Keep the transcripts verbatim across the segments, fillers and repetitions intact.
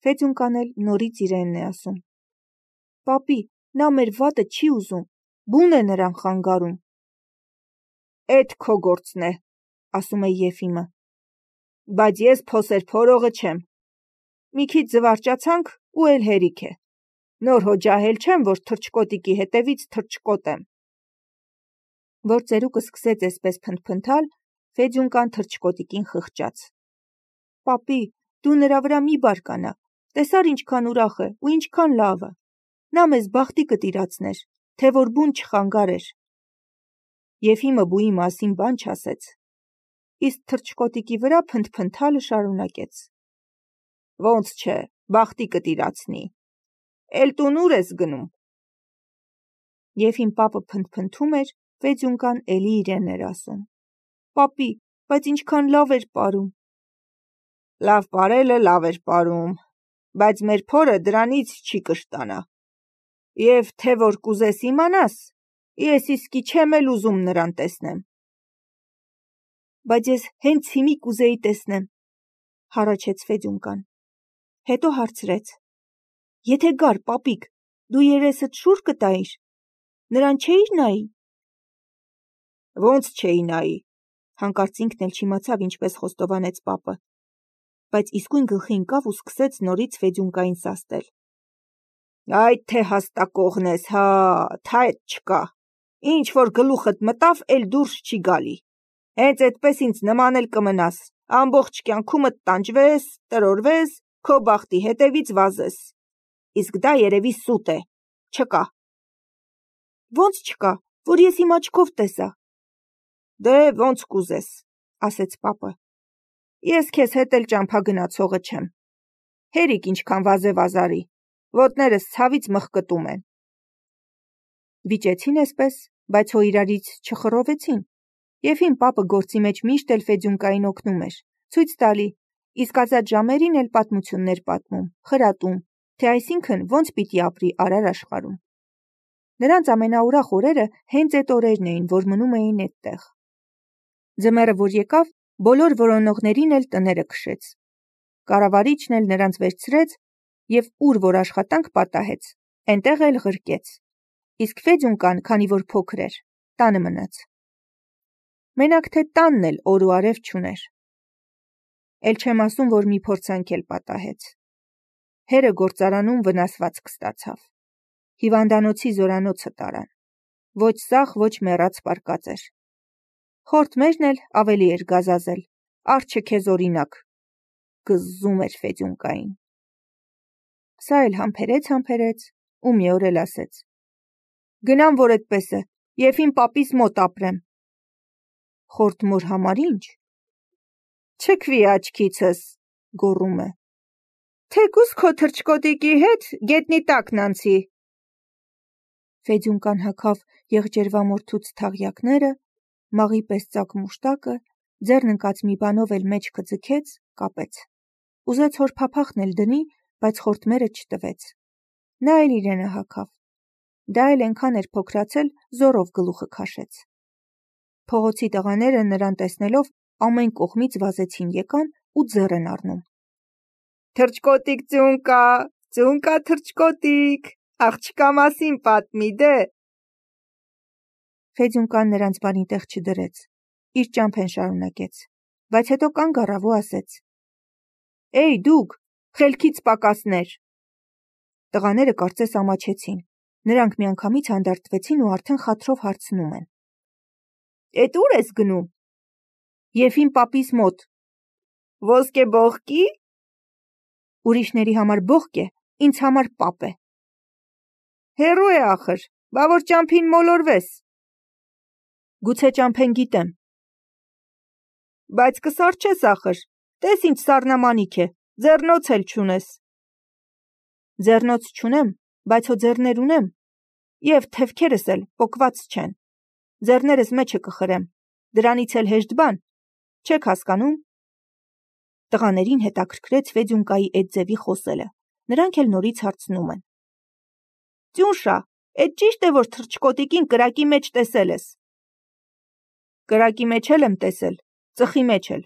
Ֆեդյունկան էլ նորից իրենն է ասում. Պապի, նա մեր վատը չի ուզում, բուն է նրան խանգարում։ Էդ քո գործն է, ասում է Եֆիմը, բայց ես փոսեր փորողը չեմ։ Մի քիչ զվարճացանք ու էլ հերիք է։ Նոր հո ջահել չեմ, որ թռչկոտիկի հետևից թռչկոտեմ։ Որ ծերուկը սկսեց այսպես փնթփնթալ, Ֆեդյունկան թռչկոտիկին խղճաց. Պապի, դու նրա վրա մի բարկանա, տեսար ինչքան ուրախ է ու ինչքան լավը։ Նա մեզ բախտի կտիրացներ, թե որ բուն չխանգարեր։ Եֆիմը բուի մասին բան չասեց, իսկ թռչկոտիկի վրա փնթփնթալը շարունակեց. Ոնց չէ, բախտի կտիրացնի։ Էլ տուն ուր ես գնում։ Եֆիմ պապը փնթփնթում էր, Ֆեդյունկան էլի իրեն էր ասում. Պապի, բայց ինչքան լավ էր պարում։ Լավ պարելը լավ էր պարում, բայց մեր փորը դրանից չի կշտանա։ Եվ թե որ կուզես իմանաս, ես իսկի չեմ էլ ուզում նրան տեսնեմ։ Բայց ես հենց հիմի կուզեի տեսնեմ, հառաչեց Ֆեդյունկան։ Հետո հարցրեց. Եթե գար, պապիկ, դու երեսդ շուռ կտայիր, նրան չէիր նայի։ Ոնց չէի նայի, հանկարծ ինքն էլ չիմացավ ինչպես խոստովանեց պապը, բայց իսկույն գլխի ընկավ ու սկսեց նորից Ֆեդյունկային սաստել։ Այդ թե հաստակողն ես, հա, թայտ չկա, ինչ որ գլուխդ մտավ, էլ դուրս չի գալի, հենց այդպես ինձ նման էլ կմնաս, ամբողջ կյանքումդ տանջվես, տրորվես, քո բախտի հետևից վազես, իսկ դա երևի սուտ է, չկա։ Ոնց չկա, որ ես իմ աչքով տեսա։ Դե ոնց կուզես, ասեց պապը, ես քեզ հետ էլ ճամփա գնացողը չեմ, հերիք ինչքան վազե վազարի, ոտներս ցավից մխկտում են։ Վիճեցին այսպես, բայց հո իրարից չխռովեցին, և հին պապը գործի մեջ միշտ էլ Ֆեդյունկային օգնում էր, ցույց տալի, իսկ ազատ ժամերին էլ պատմություններ պատմում, խրատում, թե այսինքն ոնց պիտի ապրի արար աշխարհում։ Նրանց ամենաուրախ օրերը հենց այդ օրերն էին, որ մնում էին այդտեղ։ Ձմեռը որ եկավ, բոլոր որոնողներին էլ տները քշեց։ Կառավարիչն էլ նրանց վերցրեց և ուր որ աշխատանք պատահեց, այնտեղ էլ ղրկեց։ Իսկ Ֆեդյունկան, քանի որ փոքր էր, տանը մնաց։ Մենակ թե տանն էլ օր ու արև չուներ։ Էլ չեմ ասում, որ մի փորձանք էլ պատահեց։ Հերը գործարանում վնասվածք ստացավ։ Հիվանդանոցի զորանոցը տարան։ Ոչ սաղ, ոչ մեռած պարկած էր։ Խորթմերն էլ ավելի էր գազազել, արջը քեզ օրինակ, գզում էր Ֆեդյունկային։ Սա էլ համբերեց-համբերեց ու մի օր էլ ասեց. Գնամ, որ այդպես է, և իմ պապիս մոտ ապրեմ։ Խորթմոր համար ինչ։ Չքվի աչքիցս, գոռում է։ Թեկուզ քո թռչկոտիկի հետ գետնի տակն անցի։ Ֆեդյունկան հագավ եղջերվամորթուց թաղյակները, մաղի պես ծակ մուշտակը, ձեռն ընկած մի բանով էլ մեջքը ձգեց, կապեց։ Ուզեց հոր փափախն էլ դնի, բայց խորթմերը չտվեց։ Նա էլ իրենը հագավ։ Դա էլ այնքան էր փոքրացել, զորով գլուխը քաշեց։ Փողոցի տղաները նրան տեսնելով ամեն կողմից վազեցին եկան ու ձեռ են առնում։ Թռչկոտիկ ծունկա, ծունկա թռչկոտիկ, աղջկա մասին պատմի դե։ Ֆեդյունկան նրանց բանի տեղ չդրեց, իր ճամփեն շարունակեց, բայց հետո կանգ առավ ու ասեց. Էй դուք, խելքից պակասներ։ Տղաները կարծես ամաչեցին, նրանք միանգամից հանդարտվեցին ու արդեն խաթրով հարցնում են. Էդ ուր ես գնում։ Եվ իմ պապիս մոտ։ Ոսկե բողկի։ Ուրիշների համար բողկ է, ինձ համար պապ է։ Հեռու է ախր, բա որ ճամփին մոլորվես։ Գուցե ճամփեն գիտեմ։ Բայց կսառչես ախր, տես ինչ սառնամանիք է, ձեռնոց էլ չունես։ Ձեռնոց չունեմ, բայց հո ձեռներ ունեմ, և թևքերս էլ պոկված չեն։ Ձեռներս մեջը կխրեմ, դրանից էլ հեշտ բան, չեք հասկանում։ Տղաներին հետաքրքրեց Ֆեդյունկայի այդ ձևի խոսելը, նրանք էլ նորից հարցնում են. Ծյունշա, էդ ճիշտ է, որ թռչկոտիկին կրակի մեջ տեսել ես։ Կրակի մեջ էլ եմ տեսել, ծխի մեջ էլ,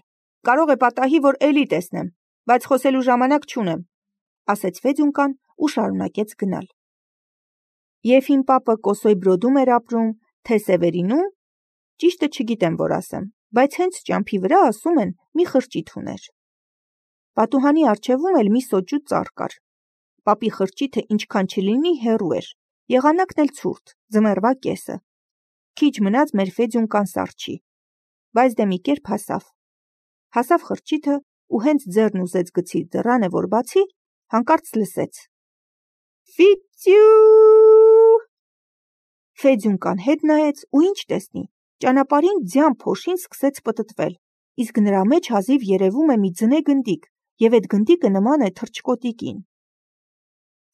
կարող է պատահի, որ էլի տեսնեմ, բայց խոսելու ժամանակ չունեմ։ ասեց Ֆեդյունկան ու շարունակեց գնալ։ Եվ իմ պապը Կոսոյ Բրոդում էր ապրում, թե Սևերինում, ճիշտը չգիտեմ, որ ասեմ, բայց հենց ճամփի վրա ասում են մի խրճիթ ուներ։ Պատուհանի առջևում էլ մի սոճու ծառ կար։ Պապի խրճիթը ինչքան չլինի հեռու էր, եղանակն էլ ցուրտ, ձմեռվա կեսը։ Քիչ մնաց մեր Ֆեդյունկան սառչի, բայց դե մի կերպ հասավ։ Հասավ խրճիթը ու հենց ձեռն ուզեց գցի դռանը, որ բացի, հանկարծ լսեց. Ֆիծյու։ Ֆեդյունկան հետ նայեց ու ինչ տեսնի, ճանապարհին ձյան փոշին սկսեց պտտվել, իսկ նրա մեջ հազիվ երևում է մի ձնե գնդիկ, եւ այդ գնդիկը նման է թռչկոտիկին։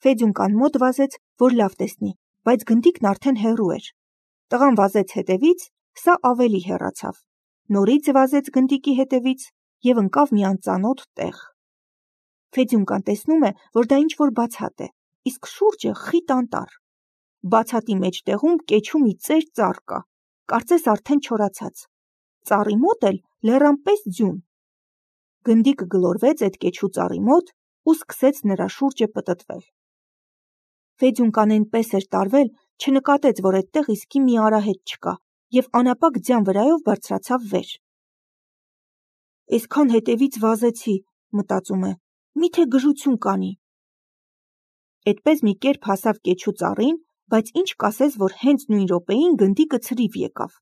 Ֆեդյունկան մոտ վազեց, որ լավ տեսնի, բայց գնդիկն արդեն հեռու էր։ Տղան վազեց հետևից, սա ավելի հեռացավ։ Նորից վազեց գնդիկի հետևից եւ ընկավ մի անծանոթ տեղ։ Ֆեդյունկան տեսնում է, որ դա ինչ-որ բացատ է, իսկ շուրջը խիտ անտառ։ Բացատի մեջտեղում կեչու մի ծեր ծառ կա, կարծես արդեն չորացած։ Ծառի մոտ էլ լեռան պես ձյուն։ Գնդիկը գլորվեց այդ կեչու ծառի մոտ ու սկսեց նրա շուրջը պտտվել։ Ֆեդյունկան այնպես էր տարվել, չնկատեց, որ այդտեղ իսկի մի արահետ չկա, եւ անապակ ձյան վրայով բարձրացավ վեր։ Այսքան հետևից վազեցի, մտածում է, միթե գժություն կանի։ Այդպես մի կերպ հասավ կեչու ծառին, բայց ինչ կասես, որ հենց նույն րոպեին գնդիկը ցրիվ եկավ։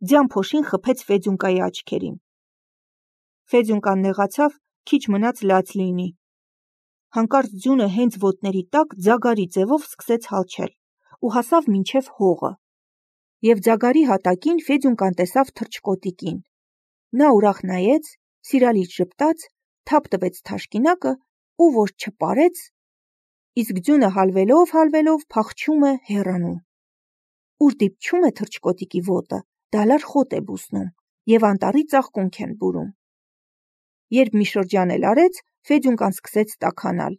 Ձյան փոշին խփեց Ֆեդյունկայի աչքերին։ Ֆեդյունկան նեղացավ, քիչ մնաց լաց լինի։ Հանկարծ ձյունը հենց ոտների տակ ձագարի ձևով սկսեց հալչել ու հասավ մինչև հողը։ Եվ ձագարի հատակին Ֆեդյունկան տեսավ թռչկոտիկին։ Նա ուրախ նայեց, սիրալից ժպտաց, թափ տվեց թաշկինակը ու որ չպարեց, իսկ ձյունը հալվելով հալվելով փախչում է հեռանում։ Ուր դիպչում է թռչկոտիկի ոտը, դալար խոտ է բուսնում եւ անտառի ծաղկունք են բուրում։ Երբ մի շրջան էլ արեց, Ֆեդյունկան սկսեց տաքանալ,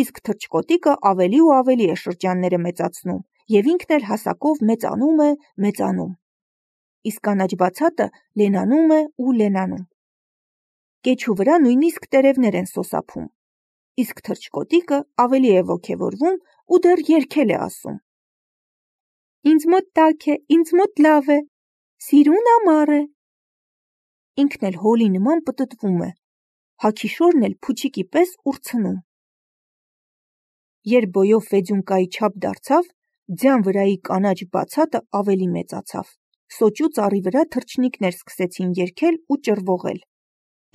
իսկ թռչկոտիկը ավելի ու ավելի է շրջանները մեծացնում եւ ինքն էլ հասակով մեծանում է, մեծանում։ Իսկ կանաչ բացատը լենանում է ու լենանում։ Կեչու վրա նույնիսկ տերևներ են սոսափում, իսկ թռչկոտիկը ավելի է ոգևորվում ու դեռ երգել է ասում. Ինձ մոտ տաք է, ինձ մոտ լավ է, սիրուն ամառ է։ Ինքն էլ հոլի նման պտտվում է, հագիշորն էլ փուչիկի պես ուրցնում։ Երբ բոյով Ֆեդյունկայի չափ դարձավ, ձյան վրայի կանաչ բացատը ավելի մեծացավ։ Սոճու ծառի վրա թռչնիկներ սկսեցին երգել ու ճռվողել։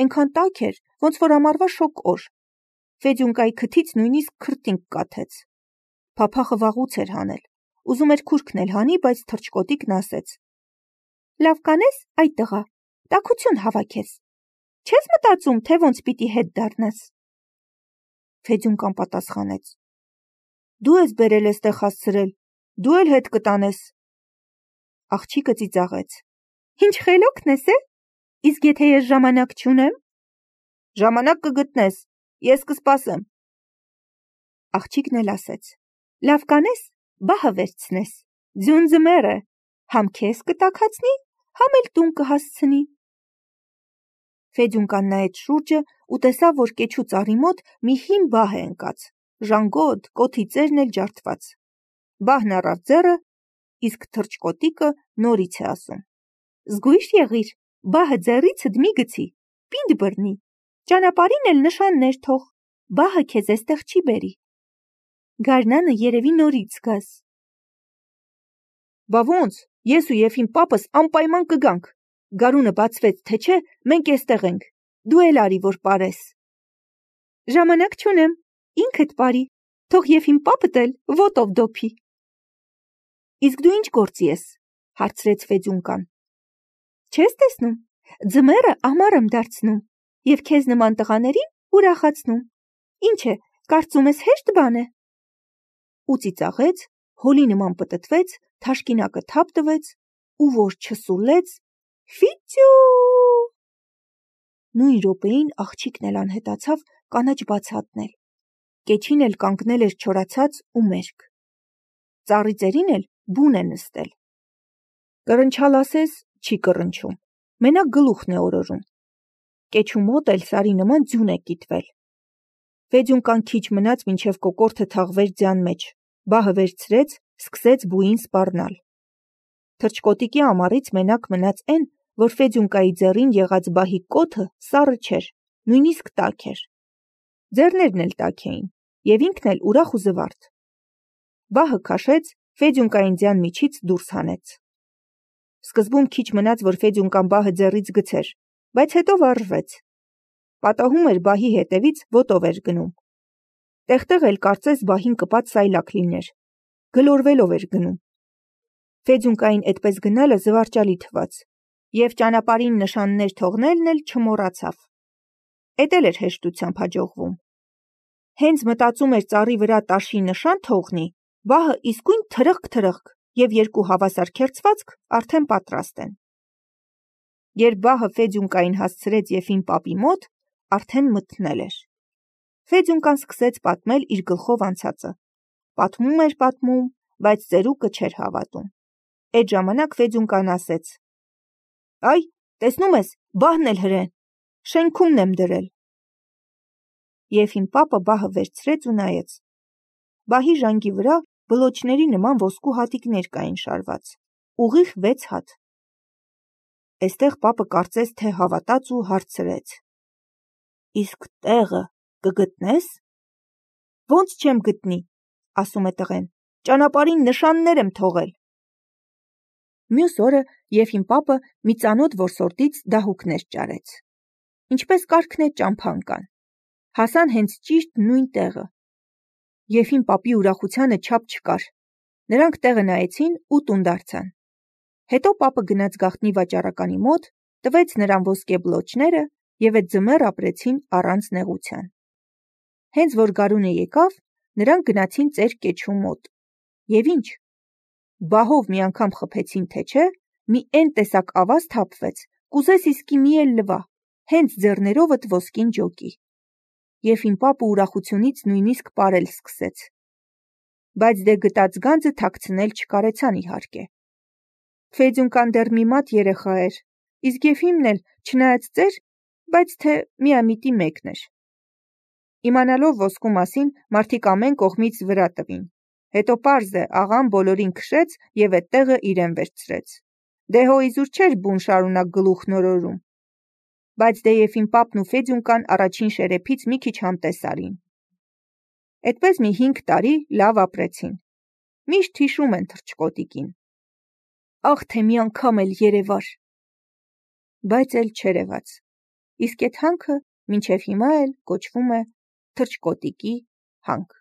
Այնքան տաք էր, ոնց որ ամառվա շոգ օր։ Ֆեդյունկայի քթից նույնիսկ քրտինք կաթեց։ Փափախը վաղուց էր հանել։ Ուզում էր քուրքն էլ հանի, բայց թռչկոտիկն ասեց. Լավ կանես, այ տղա, տաքություն հավաքես։ Չես մտածում, թե ոնց պիտի հետ դառնաս։ Ֆեդյունկան պատասխանեց. Դու ես բերել էստեղ հասցրել, դու էլ հետ կտանես։ Աղջիկը ծիծաղեց. Ինչ խելոքն ես, է։ Իսկ եթե ես ժամանակ չունեմ։ Ժամանակ կգտնես, ես կսպասեմ։ Աղջիկն էլ ասեց. Լավ կանես, բահը վերցնես։ Ձյուն ձմեռ է, համ քեզ կտաքացնի, համ էլ տուն կհասցնի։ Ֆեդյունկան նայեց շուրջը ու տեսավ, որ կեչու ծառի մոտ մի հին բահ է ընկած, ժանգոտ, կոթի ծերն էլ ջարդված։ Բահն առավ ձեռը, իսկ թռչկոտիկը նորից է ասում. Զգույշ եղիր, բահը ձեռիցդ մի գցի, պինդ բռնի, ճանապարհին էլ նշաններ թող, բահը քեզ էստեղ չի բերի։ Գարնանը երևի նորից գաս։ Բա ոնց, ես ու եւ իմ պապս անպայման կգանք։ Գարունը բացվեց, թե չէ, մենք էստեղ ենք։ Դու էլ արի, որ պարես։ Ժամանակ չունեմ, ինքդ պարի, թող եւ իմ պապդ էլ ոտով դոփի։ Իսկ դու ինչ գործի ես, հարցրեց Ֆեդյունկան։ Չես տեսնում, ձմեռը ամառ եմ դարձնում եւ քեզ նման տղաներին ուրախացնում։ Ինչ է, կարծում ես հեշտ բան է։ Ու ծիծաղեց, հոլի նման պտտվեց, թաշկինակը թափ տվեց ու որ չսուլեց, ֆիծյու։ Նույն րոպեին աղջիկն էլ անհետացավ կանաչ բացատն էլ։ Կեչին էլ կանգնել էր չորացած ու մերկ։ Ծառի ծերին էլ բուն է նստել։ Կռնչալ ասես, չի կռնչում, մենակ գլուխն է օրորում։ Կեչու մոտ էլ սարի նման ձյուն է կիտվել։ Ֆեդյունկան քիչ մնաց, մինչև կոկորդը թաղվեր ձյան մեջ, բահը վերցրեց, սկսեց բույին սպառնալ։ Թռչկոտիկի ամառից մենակ մնաց էն, որ Ֆեդյունկայի ձեռին եղած բահի կոթը սառը չէր, նույնիսկ տաք էր։ Ձեռներն էլ տաք էին, և ինքն էլ ուրախ ու զվարթ։ Բահը քաշեց, Ֆեդյունկային ձյան միջից դուրս հանեց։ Սկզբում քիչ մնաց, որ Ֆեդյունկան բահը ձեռից գցեր, բայց հետո վարժվեց։ Պատահում էր բահի հետևից ոտով էր գնում։ Տեղ-տեղ էլ կարծես բահին կպած սայլակ լիներ, գլորվելով էր գնում։ Ֆեդյունկային այդպես գնալը զվարճալի թվաց, և ճանապարհին նշաններ թողնելն էլ չմոռացավ։ Էդ էլ էր հեշտությամբ հաջողվում։ Հենց մտածում էր ծառի վրա տաշի նշան թողնի, բահը իսկույն թրխկ-թրխկ, և երկու հավասար քերծվածք արդեն պատրաստ են։ Երբ բահը Ֆեդյունկային հասցրեց Եփին պապի մոտ, արդեն մթնել էր։ Ֆեդյունկան սկսեց պատմել իր գլխով անցածը։ Պատմում էր պատմում, բայց ծերուկը չէր հավատում։ Էդ ժամանակ Ֆեդյունկան ասեց. «Այ, տեսնում ես, բահն էլ հրեն, շենքումն եմ դրել»։ Եփին պապը բահը վերցրեց ու նայեց։ Բահի ժանգի վրա բլոչների նման ոսկու հատիկներ կային շարված, ուղիղ վեց հատ։ Էստեղ պապը կարծես թե հավատաց ու հարցրեց. «Իսկ տեղը կգտնե՞ս»։ «Ոնց չեմ գտնի», ասում է տղեն, «ճանապարհին նշաններ եմ թողել»։ Մյուս օրը Եփին պապը մի ծանոթ որսորդից դահուկներ ճարեց։ Ինչպես կարգն է ճամփան կան։ Հասան հենց ճիշտ նույն տեղը։ Եփին պապի ուրախությանը չափ չկար։ Նրանք տեղը նայեցին ու տուն դարձան։ Հետո պապը գնաց գաղտնի վաճառականի մոտ, տվեց նրան ոսկե բլոչները և էդ ձմեռ ապրեցին առանց նեղության։ Հենց որ գարունը եկավ, նրանք գնացին ծեր կեչու մոտ։ Եվ ինչ, բահով մի անգամ խփեցին, թե չէ, մի էն տեսակ ավազ թափվեց, կուզես իսկի մի էլ լվա, հենց ձեռներովդ ոսկին ջոկի։ Եփին պապը ուրախությունից նույնիսկ պարել սկսեց։ Բայց դե գտած գանձը թաքցնել չկարեցան իհարկե։ Ֆեդյունկան դեռ մի մատ երեխա էր, իսկ Եփիմն էլ, չնայած ծեր, բայց թե միամիտի մեկն էր։ Իմանալով ոսկու մասին, մարդիկ ամեն կողմից վրա տվին։ Հետո պարզ է, աղան բոլորին քշեց և էդ տեղը իրեն վերցրեց։ Դե հո իզուր չէր բուն շարունակ գլուխն օրորում։ Բայց դե Եփին պապն ու Ֆեդյունկան առաջին շերեփից մի քիչ համտես Էդպես մի հինգ տարի լավ ապրեցին։ Միշտ հիշում են թռչկոտիկին։ Ախ, թե մի անգամ էլ երևար։ Բայց էլ չերևաց։ Իսկ էդ հանքը մինչև հիմա էլ կոչվում է թռչկոտիկի հանք։